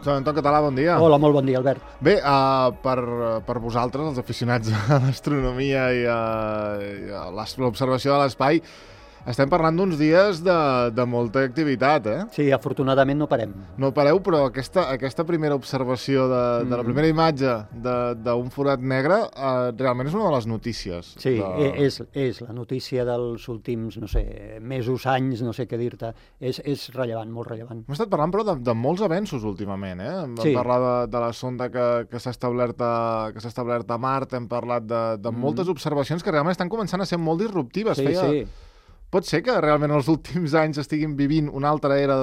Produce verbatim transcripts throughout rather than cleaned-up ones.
Joan Anton Català, bon dia. Hola, molt bon dia, Albert. Bé, uh, per, per vosaltres, els aficionats a l'astronomia i a, i a l'observació de l'espai, estem parlant d'uns dies de, de molta activitat, eh? Sí, afortunadament no parem. No pareu, però aquesta, aquesta primera observació de, de la primera imatge d'un forat negre uh, realment és una de les notícies. Sí, de... és, és la notícia dels últims, no sé, mesos, anys, no sé què dir-te. És, és rellevant, molt rellevant. Hem estat parlant, però, de, de molts avenços últimament, eh? Hem Sí. parlat de, de la sonda que, que s'ha establert, a, que s'ha establert a Mart, hem parlat de, de mm. moltes observacions que realment estan començant a ser molt disruptives. Sí, Feia... sí. Pot ser que realment els últims anys estiguin vivint una altra era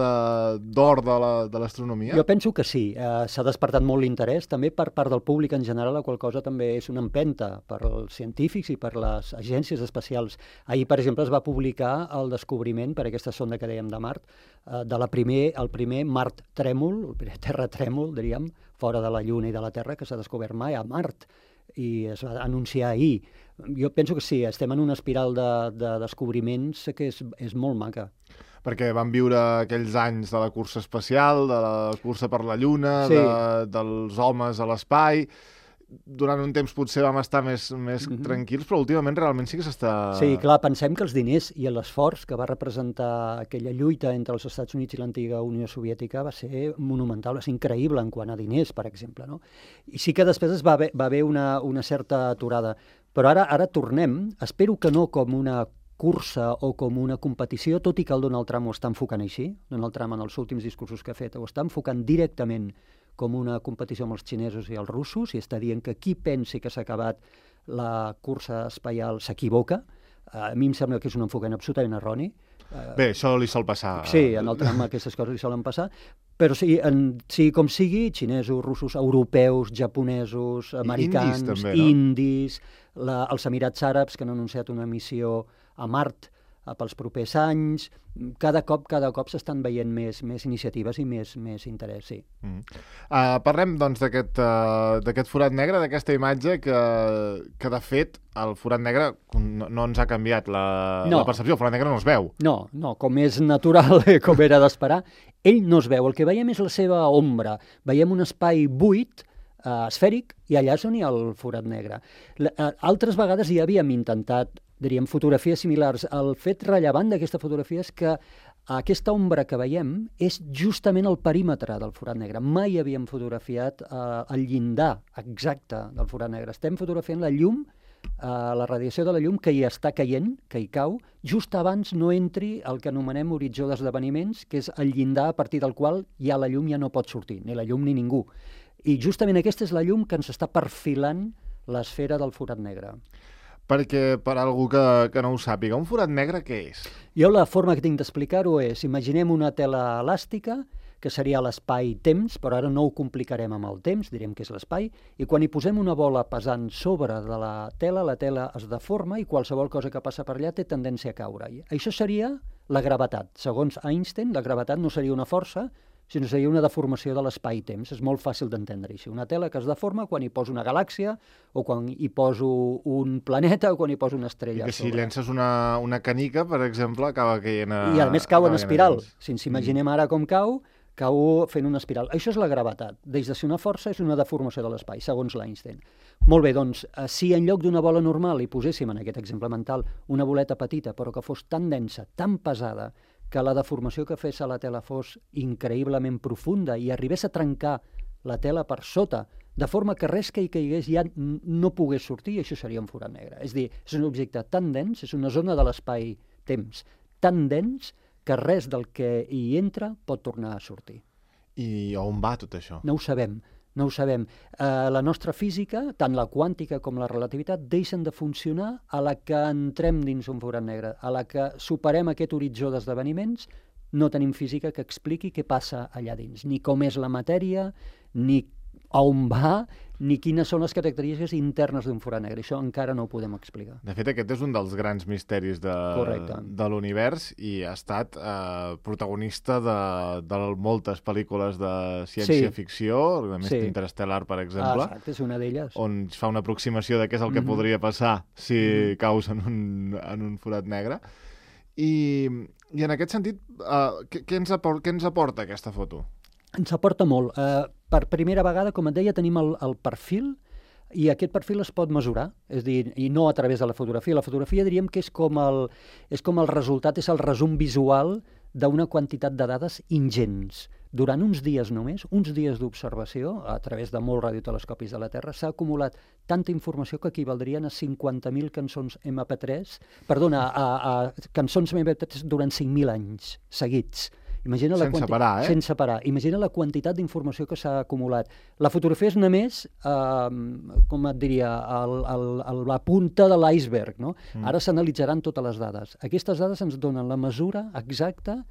d'or de, de l'astronomia? Jo penso que sí. Uh, S'ha despertat molt l'interès, també per part del públic en general, la qual cosa també és una empenta per als científics i per les agències espacials. Ahir, per exemple, es va publicar el descobriment, per aquesta sonda que dèiem de Mart, uh, de la primer, el primer Mart trèmol, el primer terratrèmol, diríem, fora de la Lluna i de la Terra, que s'ha descobert mai a Mart, i es va anunciar ahir. Jo penso que sí, estem en una espiral de, de descobriments que és, és molt maca. Perquè van viure aquells anys de la cursa espacial, de la cursa per la Lluna, Sí. de, dels homes a l'espai. Durant un temps potser vam estar més, més Mhm. tranquils, però últimament realment sí que s'està... Sí, clar, pensem que els diners i l'esforç que va representar aquella lluita entre els Estats Units i l'antiga Unió Soviètica va ser monumental, va ser increïble en quant a diners, per exemple, no? I sí que després es va haver, va haver una, una certa aturada. Però ara, ara tornem, espero que no com una cursa o com una competició, tot i que el Donald Trump ho està enfocant així. Donald Trump, en els últims discursos que ha fet, ho està enfocant directament com una competició amb els xinesos i els russos, i està dient que qui pensi que s'ha acabat la cursa espacial s'equivoca. A mi em sembla que és un enfocament absolutament erroni. Bé, això li sol passar. Sí, en el Trump aquestes coses li solen passar, però sí, en, sigui com sigui, xinesos, russos, europeus, japonesos, americans, indis, també, no? indis, la, els Emirats Àrabs, que han anunciat una missió a Mart eh, pels propers anys. Cada cop cada cop s'estan veient més, més iniciatives i més, més interès, sí. Mm. Uh, parlem, doncs, d'aquest uh, d'aquest forat negre, d'aquesta imatge que, que, de fet, el forat negre no, no ens ha canviat la, No. la percepció. El forat negre no es veu. No, no, com és natural, com era d'esperar, ell no es veu. El que veiem és la seva ombra. Veiem un espai buit, eh, esfèric, i allà és on hi ha el forat negre. L eh, altres vegades ja havíem intentat, diríem, fotografies similars. El fet rellevant d'aquesta fotografia és que aquesta ombra que veiem és justament el perímetre del forat negre. Mai havíem fotografiat eh, el llindar exacte del forat negre. Estem fotografiant la llum, eh, la radiació de la llum que hi està caient, que hi cau, just abans no entri el que anomenem horitzó d'esdeveniments, que és el llindar a partir del qual ja la llum ja no pot sortir, ni la llum ni ningú. I justament aquesta és la llum que ens està perfilant l'esfera del forat negre. Perquè, per a algú que, que no ho sàpiga, un forat negre què és? Jo la forma que tinc d'explicar-ho és, imaginem una tela elàstica, que seria l'espai-temps, però ara no ho complicarem amb el temps, direm que és l'espai, i quan hi posem una bola pesant sobre de la tela, la tela es deforma i qualsevol cosa que passa per allà té tendència a caure. I això seria la gravetat. Segons Einstein, la gravetat no seria una força, sinó seria una deformació de l'espai-temps. És molt fàcil d'entendre així. Una tela que es deforma quan hi poso una galàxia, o quan hi poso un planeta, o quan hi poso una estrella. I que si llences una, una canica, per exemple, acaba caient a... I a més cau en acaba espiral. caient a Si ens imaginem ara com cau, cau fent una espiral. Això és la gravetat. Deix de ser una força, és una deformació de l'espai, segons l'Einstein. Molt bé, doncs, eh, si en lloc d'una bola normal hi poséssim, en aquest exemple mental, una boleta petita, però que fos tan densa, tan pesada, que la deformació que fes a la tela fos increïblement profunda i arribés a trencar la tela per sota, de forma que res que hi caigués ja no pogués sortir, i això seria un forat negre. És a dir, és un objecte tan dens, és una zona de l'espai-temps tan dens que res del que hi entra pot tornar a sortir. I on va tot això? No ho sabem. No ho sabem. Eh, la nostra física, tant la quàntica com la relativitat, deixen de funcionar a la que entrem dins un forat negre, a la que superem aquest horitzó d'esdeveniments. No tenim física que expliqui què passa allà dins, ni com és la matèria, ni a on va, ni quines són les característiques internes d'un forat negre. Això encara no ho podem explicar. De fet, aquest és un dels grans misteris de, de l'univers i ha estat eh, protagonista de, de moltes pel·lícules de ciència-ficció, sí. A més sí. Interstellar, per exemple. Ah, exacte, és una d'elles. On es fa una aproximació de què és el que mm-hmm. podria passar si mm-hmm. caus en un, en un forat negre. I, i en aquest sentit, eh, què, què, ens aporta, què ens aporta aquesta foto? Ens aporta molt. Eh, per primera vegada, com et deia, tenim el, el perfil, i aquest perfil es pot mesurar, és a dir, i no a través de la fotografia. La fotografia diríem que és com el, és com el resultat, és el resum visual d'una quantitat de dades ingents. Durant uns dies només, uns dies d'observació, a través de molts radiotelescopis de la Terra, s'ha acumulat tanta informació que equivaldrien a cinquanta mil cançons ema pe tres, perdona, a, a cançons ema pe tres durant cinc mil anys seguits. Imagina la sense quanti... parar, eh? Sense parar. Imagina la quantitat d'informació que s'ha acumulat. La fotografia és només, eh, com et diria, el, el, el, la punta de l'iceberg, no? Mm. Ara s'analitzaran totes les dades. Aquestes dades ens donen la mesura exacta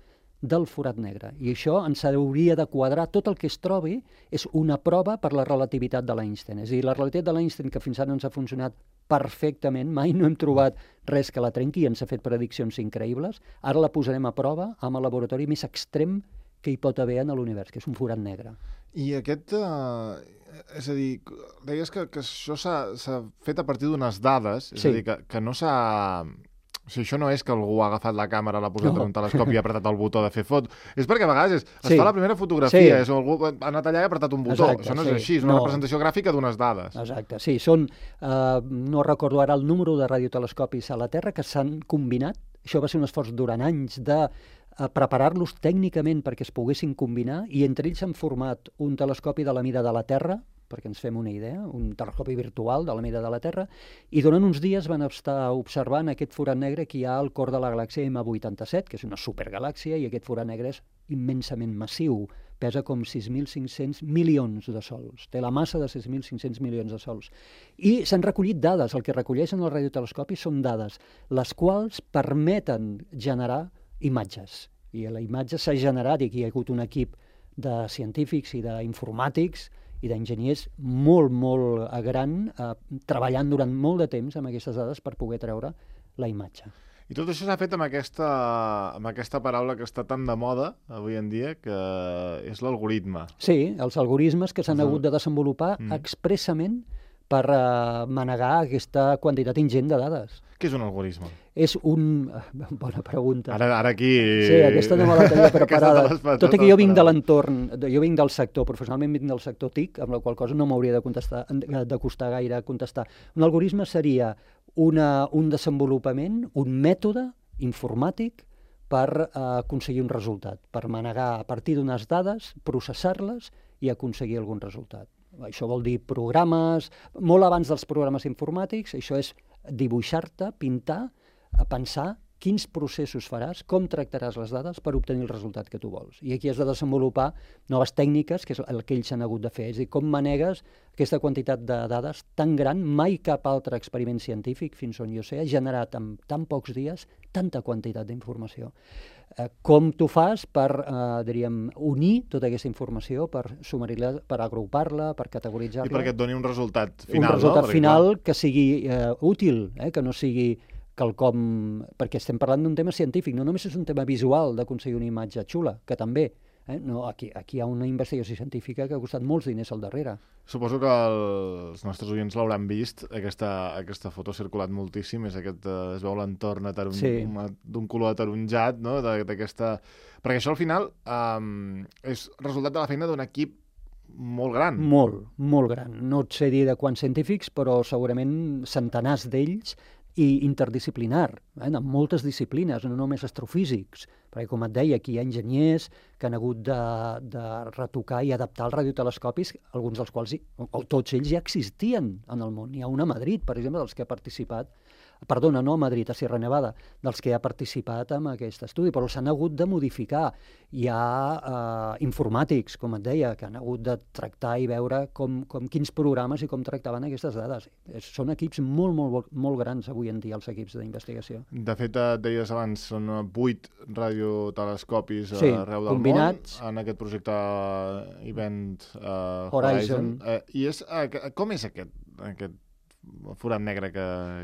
del forat negre. I això ens hauria de quadrar. Tot el que es trobi és una prova per la relativitat de l'Einstein. És a dir, la relativitat de l'Einstein, que fins ara ens ha funcionat perfectament, mai no hem trobat res que la trenqui, ens ha fet prediccions increïbles, ara la posarem a prova amb el laboratori més extrem que hi pot haver en l'univers, que és un forat negre. I aquest... Eh, és a dir, deies que, que això s'ha fet a partir d'unes dades, és sí. a dir, que, que no s'ha... O sigui, això no és que algú ha agafat la càmera, l'ha posat no. en un telescopi i ha apretat el botó de fer foto. És perquè a vegades és, es sí. fa la primera fotografia, sí. és algú ha anat allà i ha apretat un botó. Exacte, això no és sí. així, és una no. representació gràfica d'unes dades. Exacte, sí. Són, eh, no recordo ara el número de radiotelescopis a la Terra que s'han combinat. Això va ser un esforç durant anys de eh, preparar-los tècnicament perquè es poguessin combinar, i entre ells s'han format un telescopi de la mida de la Terra, perquè ens fem una idea, un telescopi virtual de la mida de la Terra, i durant uns dies van estar observant aquest forat negre que hi ha al cor de la galàxia ema vuitanta-set, que és una supergalàxia, i aquest forat negre és immensament massiu, pesa com sis mil cinc-cents milions de sols, té la massa de sis mil cinc-cents milions de sols. I s'han recollit dades, el que recolleixen els radiotelescopis són dades, les quals permeten generar imatges. I la imatge s'ha generat, i aquí hi ha hagut un equip de científics i d'informàtics i d'enginyers molt, molt gran, eh, treballant durant molt de temps amb aquestes dades per poder treure la imatge. I tot això s'ha fet amb aquesta, amb aquesta paraula que està tan de moda avui en dia, que és l'algoritme. Sí, els algoritmes que s'han hagut de desenvolupar mm. expressament per uh, manegar aquesta quantitat ingent de dades. Què és un algoritme? És un... Bona pregunta. Ara, ara aquí... Sí, aquesta no me la tenia preparada. Tot i que jo vinc de l'entorn, jo vinc del sector, professionalment vinc del sector T I C, amb la qual cosa no m'hauria de, contestar, de costar gaire contestar. Un algoritme seria una, un desenvolupament, un mètode informàtic per uh, aconseguir un resultat, per manegar a partir d'unes dades, processar-les i aconseguir algun resultat. Això vol dir programes, molt abans dels programes informàtics, això és dibuixar-te, pintar, pensar quins processos faràs, com tractaràs les dades per obtenir el resultat que tu vols. I aquí has de desenvolupar noves tècniques, que és el que ells han hagut de fer, és a dir, com manegues aquesta quantitat de dades tan gran. Mai cap altre experiment científic, fins on jo sé, ha generat en tan pocs dies tanta quantitat d'informació. Eh, com tu fas per, eh, diríem, unir tota aquesta informació, per sumaritzar, per agrupar-la, per categoritzar-la. I perquè et doni un resultat final, un resultat no? final perquè, que sigui eh, útil, eh, que no sigui quelcom... Perquè estem parlant d'un tema científic, no només és un tema visual d'aconseguir una imatge xula, que també. Eh? No, aquí, aquí hi ha una investigació científica que ha costat molts diners al darrere. Suposo que els nostres oients l'hauran vist, aquesta, aquesta foto ha circulat moltíssim, és aquest, eh, es veu l'entorn d'un sí. color ataronjat, no? d'aquesta... Perquè això al final um, és resultat de la feina d'un equip molt gran. Molt, molt gran. No et sé dir de quants científics, però segurament centenars d'ells, i interdisciplinar, eh, en moltes disciplines, no només astrofísics, perquè, com et deia, aquí hi ha enginyers que han hagut de, de retocar i adaptar els radiotelescopis, alguns dels quals, o tots ells ja existien en el món. Hi ha un a Madrid, per exemple, dels que ha participat, perdona, no a Madrid, a Sierra Nevada, dels que ha participat en aquest estudi, però s'han hagut de modificar. Hi ha eh, informàtics, com et deia, que han hagut de tractar i veure com, com quins programes i com tractaven aquestes dades. Són equips molt, molt, molt grans avui en dia, els equips d'investigació. De fet, et deies abans, són vuit radiotelescopis sí, arreu del combinats. Món en aquest projecte Event uh, Horizon. Horizon. Uh, I és, uh, com és aquest, aquest forat negre que,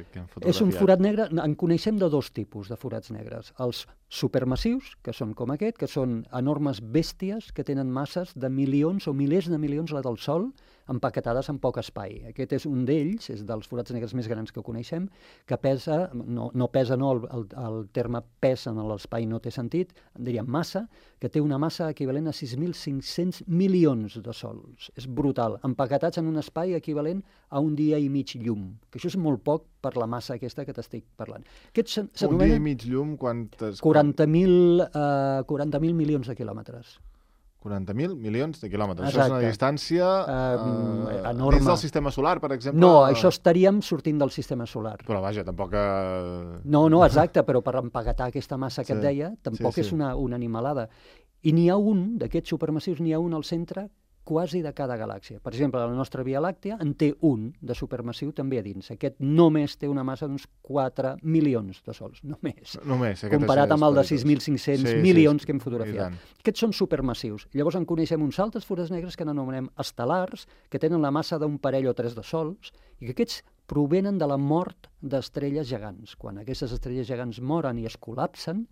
que hem fotografiat? És un forat negre, en coneixem de dos tipus de forats negres. Els supermassius, que són com aquest, que són enormes bèsties que tenen masses de milions o milers de milions la del Sol, empaquetades en poc espai. Aquest és un d'ells, és dels forats negres més grans que coneixem, que pesa, no, no pesa, no, el, el, el terme pes en l'espai no té sentit, diríem massa, que té una massa equivalent a sis mil cinc-cents milions de sols. És brutal, empaquetats en un espai equivalent a un dia i mig llum, que això és molt poc per la massa aquesta que t'estic parlant. Aquests un dia i mig llum, quantes... quaranta mil uh, quaranta mil milions de quilòmetres. quaranta mil milions de quilòmetres. Exacte. Això és una distància uh, uh, enorme. dins del sistema solar, per exemple? No, això estaríem sortint del sistema solar. Però vaja, tampoc... Uh... No, no, exacte, però per empaquetar aquesta massa que sí. et deia, tampoc sí, sí. és una, una animalada. I n'hi ha un, d'aquests supermassius, n'hi ha un al centre quasi de cada galàxia. Per exemple, la nostra Via Làctea en té un de supermassiu també a dins. Aquest només té una massa d'uns quatre milions de sols, només. Només. Comparat amb el de sis mil cinc-cents sí, milions sí, que hem fotografiat. Aquests són supermassius. Llavors en coneixem uns altres forats negres que n'anomenem estel·lars, que tenen la massa d'un parell o tres de sols, i que aquests provenen de la mort d'estrelles gegants. Quan aquestes estrelles gegants moren i es col·lapsen,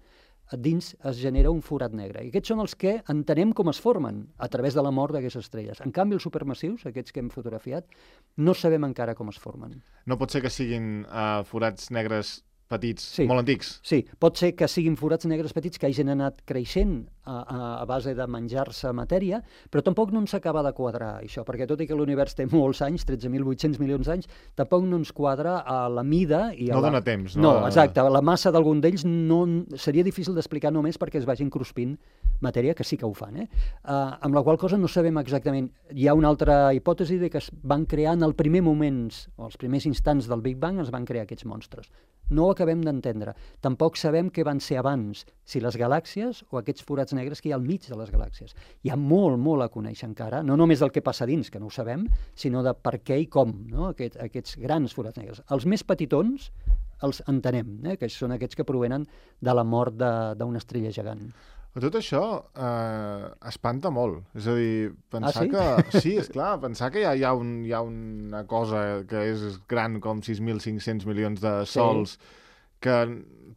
dins es genera un forat negre. I aquests són els que entenem com es formen a través de la mort d'aquestes estrelles. En canvi, els supermassius, aquests que hem fotografiat, no sabem encara com es formen. No pot ser que siguin uh, forats negres petits, sí. molt antics? Sí, pot ser que siguin forats negres petits que hagin anat creixent a, a, a base de menjar-se matèria, però tampoc no ens acaba de quadrar això, perquè tot i que l'univers té molts anys, tretze mil vuit-cents milions d'anys, tampoc no ens quadra a la mida i a no la... dona temps, no? No, exacte, la massa d'algun d'ells no... seria difícil d'explicar només perquè es vagin cruspint matèria, que sí que ho fan, eh? Uh, amb la qual cosa no sabem exactament. Hi ha una altra hipòtesi de que es van crear en el primer moments, o els primers instants del Big Bang, es van crear aquests monstres. No ho acabem d'entendre. Tampoc sabem què van ser abans, si les galàxies o aquests forats negres que hi ha al mig de les galàxies. Hi ha molt, molt a conèixer encara, no només del que passa dins, que no ho sabem, sinó de per què i com, no? Aquest, aquests grans forats negres. Els més petitons els entenem, eh? Que són aquests que provenen de la mort d'una estrella gegant. Tot això eh, espanta molt. És a dir, pensar ah, sí? que... Sí, esclar, pensar que hi ha, hi, ha un, hi ha una cosa que és gran com sis mil cinc-cents milions de sols sí. que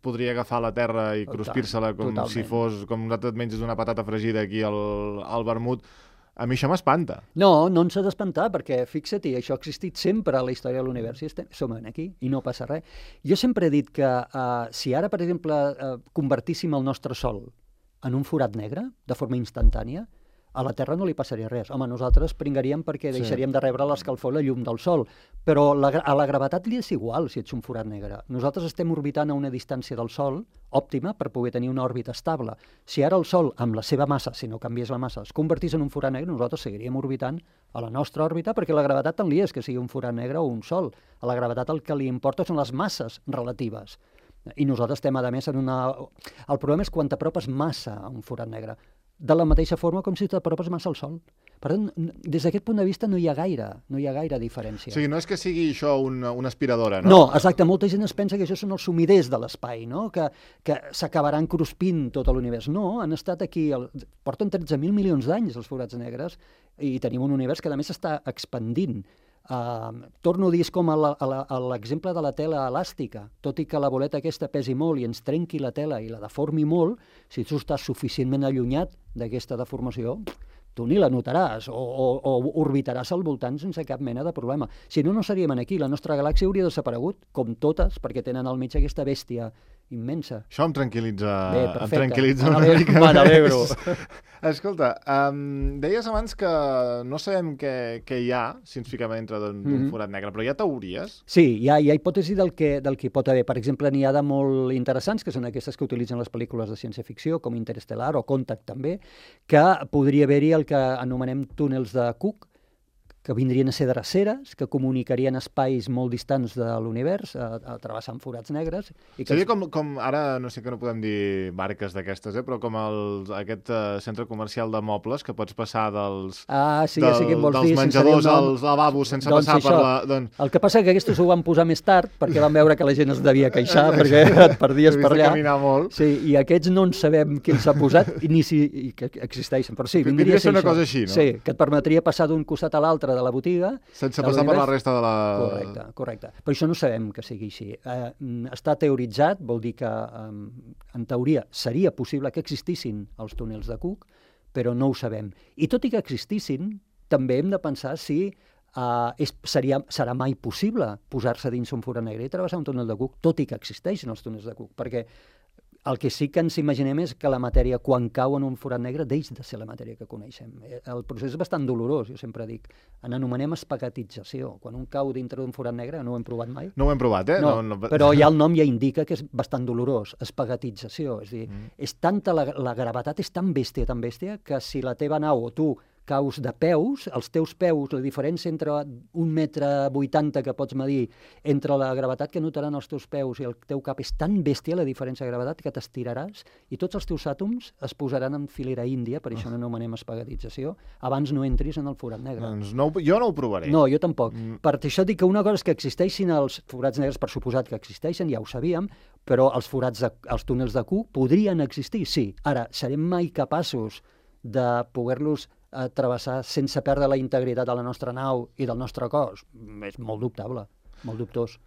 podria agafar la Terra i cruspir-se-la com Totalment. si fos... com nosaltres et menges una patata fregida aquí al, al vermut. A mi això m'espanta. No, no ens ha d'espantar, perquè fixa-t'hi, això ha existit sempre a la història de l'univers i estem, som aquí i no passa res. Jo sempre he dit que uh, si ara, per exemple, uh, convertíssim el nostre Sol en un forat negre, de forma instantània, a la Terra no li passaria res. Home, nosaltres pringaríem perquè deixaríem sí. de rebre l'escalfor i la llum del Sol, però la, a la gravetat li és igual si ets un forat negre. Nosaltres estem orbitant a una distància del Sol òptima per poder tenir una òrbita estable. Si ara el Sol, amb la seva massa, si no canvies la massa, es convertís en un forat negre, nosaltres seguiríem orbitant a la nostra òrbita, perquè la gravetat tant li és que sigui un forat negre o un Sol. A la gravetat el que li importa són les masses relatives. I nosaltres estem, a més, en una... El problema és quan t'apropes massa a un forat negre, de la mateixa forma com si t'apropes massa al Sol. Per tant, des d'aquest punt de vista no hi ha gaire, no hi ha gaire diferència. O sigui, no és que sigui això una, una aspiradora, no? No, exacte, molta gent es pensa que això són els sumiders de l'espai, no? Que, que s'acabaran cruspint tot l'univers. No, han estat aquí, el... porten tretze mil milions d'anys els forats negres i tenim un univers que a més està expandint. Uh, torno a dir, és com l'exemple de la tela elàstica. Tot i que la boleta aquesta pesi molt i ens trenqui la tela i la deformi molt, si tu estàs suficientment allunyat d'aquesta deformació, tu ni la notaràs o, o, o orbitaràs al voltant sense cap mena de problema. Si no, no seríem aquí. La nostra galàxia hauria desaparegut, com totes, perquè tenen al mig aquesta bèstia immensa. Això em tranquil·litza, Bé, em tranquil·litza una mica més. Escolta, um, deies abans que no sabem què, què hi ha si ens fiquem dintre d'un mm-hmm. forat negre, però hi ha teories? Sí, hi ha, hi ha hipòtesi del que, del que pot haver. Per exemple, n'hi ha de molt interessants, que són aquestes que utilitzen les pel·lícules de ciència-ficció, com Interestelar o Contact també, que podria haver-hi el que anomenem túnels de Cook, que vindrien a ser dreceres, que comunicarien espais molt distants de l'univers, a, a travessant forats negres. I que seria com, com, ara no sé que no podem dir marques d'aquestes, eh, però com el, aquest uh, centre comercial de mobles que pots passar dels, ah, sí, del, ja sé què vols dels dir, menjadors als lavabos sense doncs passar això, per la... Doncs... El que passa que aquests ho van posar més tard perquè van veure que la gent es devia queixar perquè et perdies per allà. Caminar molt. Sí, i aquests no en sabem qui els ha posat i ni si i que existeixen, però sí, vindria a ser una cosa així, no? Sí, que et permetria passar d'un costat a l'altre dintre de la botiga... Sense passar per la resta de la... Correcte, correcte. Però això no sabem que sigui així. Eh, està teoritzat, vol dir que eh, en teoria seria possible que existissin els túnels de Cook, però no ho sabem. I tot i que existissin, també hem de pensar si uh, és, seria, serà mai possible posar-se dins un forat negre i travessar un túnel de Cook, tot i que existeixen els túnels de Cook, perquè el que sí que ens imaginem és que la matèria, quan cau en un forat negre, deix de ser la matèria que coneixem. El procés és bastant dolorós, jo sempre dic. En anomenem espagatització. Quan un cau dintre d'un forat negre, no ho hem provat mai. No ho hem provat, eh? No, no, no... però ja el nom ja indica que és bastant dolorós, espagatització. És a dir, mm. és tanta la, la gravetat és tan bèstia, tan bèstia, que si la teva nau o tu caus de peus, els teus peus, la diferència entre un metre vuitanta que pots medir entre la gravetat que notaran els teus peus i el teu cap és tan bèstia la diferència de gravetat que t'estiraràs i tots els teus àtoms es posaran en filera índia, per això no anomenem espagatització, abans no entris en el forat negre. Doncs no, jo no ho provaré. No, jo tampoc. Mm. Per això dic que una cosa és que existeixin els forats negres, per suposat que existeixen, ja ho sabíem, però els forats, de, els túnels de Cook podrien existir, sí. Ara, serem mai capaços de poder-los a travessar sense perdre la integritat de la nostra nau i del nostre cos? És molt dubtable, molt dubtós.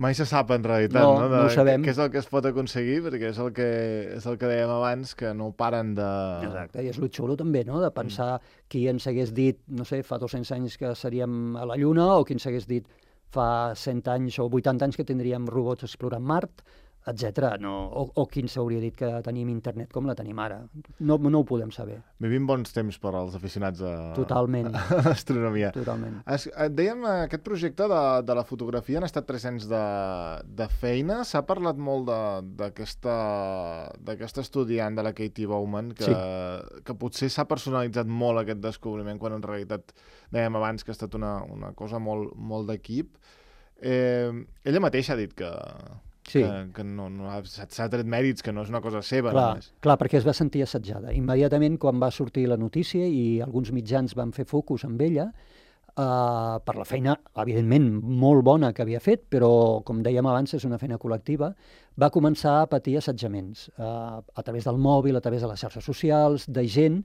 Mai se sap, en realitat, no, no? De, no ho sabem. Què és el que es pot aconseguir, perquè és el que, és el que dèiem abans, que no paren de... Exacte, i és lo xulo també, no?, de pensar mm. qui ens hagués dit, no sé, fa dos-cents anys que seríem a la Lluna, o qui ens hagués dit fa cent anys o vuitanta anys que tindríem robots explorant Mart, etcètera. No, o, o qui ens hauria dit que tenim internet com la tenim ara. No, no ho podem saber. Vivim bons temps per als aficionats a, Totalment. a l'astronomia. Totalment. Es, dèiem, aquest projecte de, de la fotografia han estat tres anys de, de feina. S'ha parlat molt d'aquesta estudiant de la Katie Bowman, que, sí. que potser s'ha personalitzat molt aquest descobriment, quan en realitat dèiem abans que ha estat una, una cosa molt, molt d'equip. Eh, ella mateixa ha dit que... Sí. que, que no, no s'ha tret mèrits, que no és una cosa seva. Clar, només. clar, perquè es va sentir assetjada. Immediatament, quan va sortir la notícia i alguns mitjans van fer focus amb ella, eh, per la feina, evidentment, molt bona que havia fet, però, com dèiem abans, és una feina col·lectiva, va començar a patir assetjaments eh, a través del mòbil, a través de les xarxes socials, de gent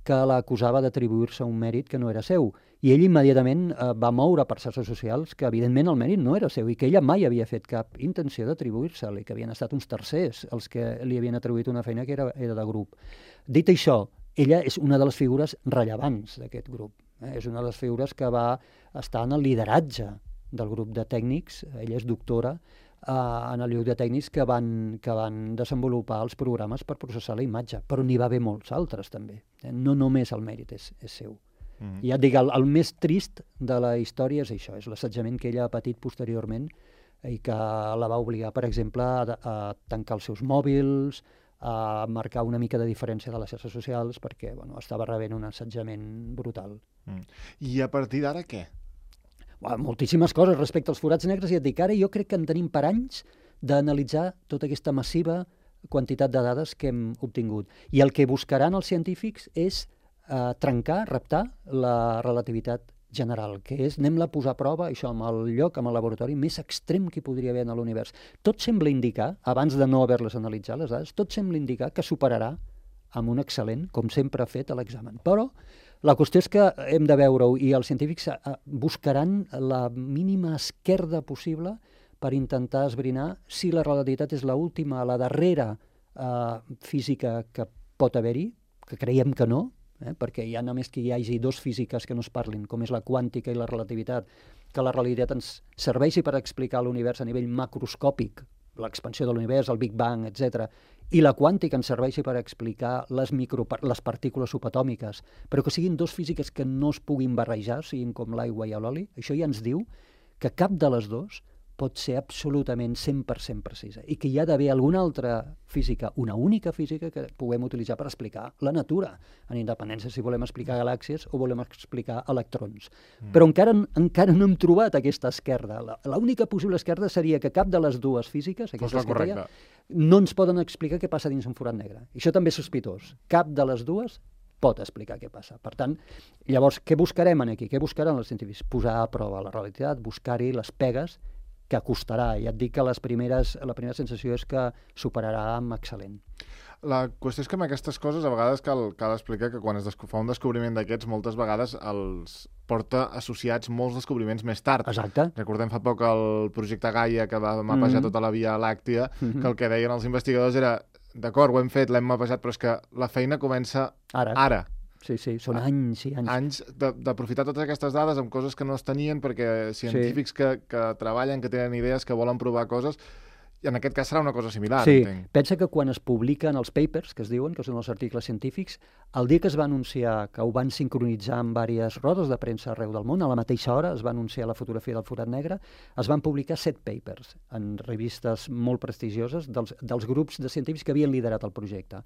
que l'acusava d'atribuir-se un mèrit que no era seu. I ell immediatament eh, va moure per xarxes socials que, evidentment, el mèrit no era seu i que ella mai havia fet cap intenció d'atribuir-se'l i que havien estat uns tercers els que li havien atribuït una feina que era, era de grup. Dit això, ella és una de les figures rellevants d'aquest grup. Eh? És una de les figures que va estar en el lideratge del grup de tècnics. Ella és doctora eh, en el lloc de tècnics que van, que van desenvolupar els programes per processar la imatge, però n'hi va haver molts altres també. Eh? No només el mèrit és, és seu. Mm. I ja et dic, el, el més trist de la història és això, és l'assetjament que ella ha patit posteriorment i que la va obligar, per exemple, a, a tancar els seus mòbils, a marcar una mica de diferència de les xarxes socials perquè bueno, estava rebent un assetjament brutal. Mm. I a partir d'ara què? Bueno, moltíssimes coses respecte als forats negres, i et dic, ara jo crec que en tenim per anys d'analitzar tota aquesta massiva quantitat de dades que hem obtingut. I el que buscaran els científics és Uh, trencar, reptar la relativitat general, que és anem-la a posar a prova, això, amb el lloc, amb el laboratori més extrem que hi podria haver en l'univers. Tot sembla indicar, abans de no haver-les analitzat, les dades, tot sembla indicar que superarà amb un excel·lent, com sempre ha fet a l'examen. Però la qüestió és que hem de veure-ho i els científics uh, buscaran la mínima esquerda possible per intentar esbrinar si la relativitat és l'última, la darrera uh, física que pot haver-hi, que creiem que no, Eh, perquè ja només que hi hagi dos físiques que no es parlin, com és la quàntica i la relativitat, que la relativitat ens serveixi per explicar l'univers a nivell macroscòpic, l'expansió de l'univers, el Big Bang, etcètera, i la quàntica ens serveixi per explicar les, micro, les partícules subatòmiques, però que siguin dos físiques que no es puguin barrejar, siguin com l'aigua i l'oli, això ja ens diu que cap de les dues pot ser absolutament cent per cent precisa i que hi ha d'haver alguna altra física, una única física que puguem utilitzar per explicar la natura, en independència si volem explicar galàxies o volem explicar electrons. Mm. Però encara, encara no hem trobat aquesta esquerda. L'única possible esquerda seria que cap de les dues físiques, aquestes que deia, no ens poden explicar què passa dins un forat negre. I això també és sospitós. Cap de les dues pot explicar què passa. Per tant, llavors, què buscarem aquí? Què buscaran els científics? Posar a prova la realitat, buscar-hi les pegues que costarà. Ja et dic que les primeres, la primera sensació és que superarà amb excel·lent. La qüestió és que amb aquestes coses a vegades cal, cal explicar que quan es fa un descobriment d'aquests, moltes vegades els porta associats molts descobriments més tard. Exacte. Recordem fa poc el projecte Gaia, que va mapejar mm-hmm. tota la Via Làctia, mm-hmm. que el que deien els investigadors era d'acord, ho hem fet, l'hem mapejat, però és que la feina comença ara. ara. Sí, sí, són anys i anys. Anys d'aprofitar totes aquestes dades amb coses que no es tenien, perquè científics sí. que, que treballen, que tenen idees, que volen provar coses, i en aquest cas serà una cosa similar, sí. entenc. Pensa que quan es publiquen els papers, que es diuen, que són els articles científics, el dia que es va anunciar que ho van sincronitzar amb diverses rodes de premsa arreu del món, a la mateixa hora es va anunciar la fotografia del forat negre, es van publicar set papers en revistes molt prestigioses dels, dels grups de científics que havien liderat el projecte.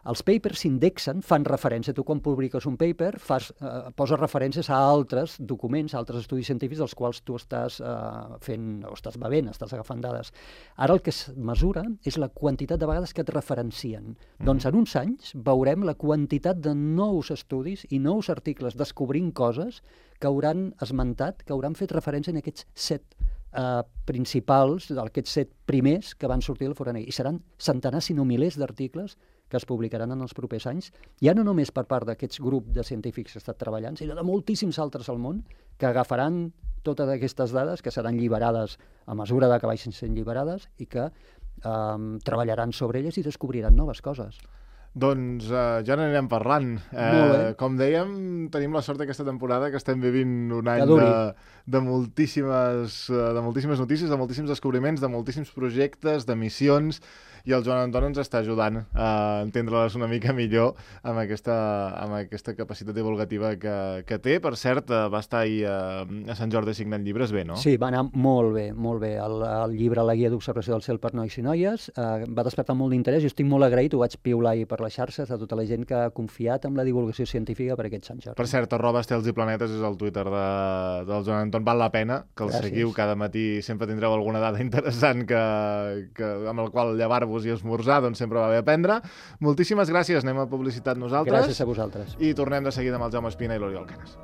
Els papers s'indexen, fan referència. Tu quan publiques un paper fas, eh, poses referències a altres documents, a altres estudis científics dels quals tu estàs eh, fent, o estàs bevent, estàs agafant dades. Ara el que es mesura és la quantitat de vegades que et referencien. Mm. Doncs en uns anys veurem la quantitat de nous estudis i nous articles descobrint coses que hauran esmentat, que hauran fet referència en aquests set eh, principals, aquests set primers que van sortir del forat negre. I seran centenars, si no milers d'articles que es publicaran en els propers anys, ja no només per part d'aquests grups de científics que estan treballant, sinó de moltíssims altres al món que agafaran totes aquestes dades, que seran lliberades a mesura de que vagin sent lliberades i que eh, treballaran sobre elles i descobriran noves coses. Doncs uh, ja n'anirem parlant. Eh, com dèiem, tenim la sort aquesta temporada que estem vivint un any de, de, moltíssimes, de moltíssimes notícies, de moltíssims descobriments, de moltíssims projectes, de missions, i el Joan Anton ens està ajudant a entendre-les una mica millor amb aquesta, amb aquesta capacitat divulgativa que, que té. Per cert, va estar ahir a, a Sant Jordi signant llibres bé, no? Sí, va anar molt bé, molt bé. El, el llibre La guia d'observació del cel per nois i noies eh, va despertar molt d'interès. Jo estic molt agraït, ho vaig piular ahir per les xarxes a tota la gent que ha confiat en la divulgació científica per aquest Sant Jordi. Per cert, arroba estels i planetes és el Twitter de, del Joan Anton. Val la pena que el Gràcies. Seguiu. Cada matí sempre tindreu alguna dada interessant que, que, amb el qual llevar-vos i esmorzar, doncs sempre va bé aprendre. Moltíssimes gràcies, anem a publicitat nosaltres. Gràcies a vosaltres. I tornem de seguida amb el Jaume Espina i l'Oriol Canes.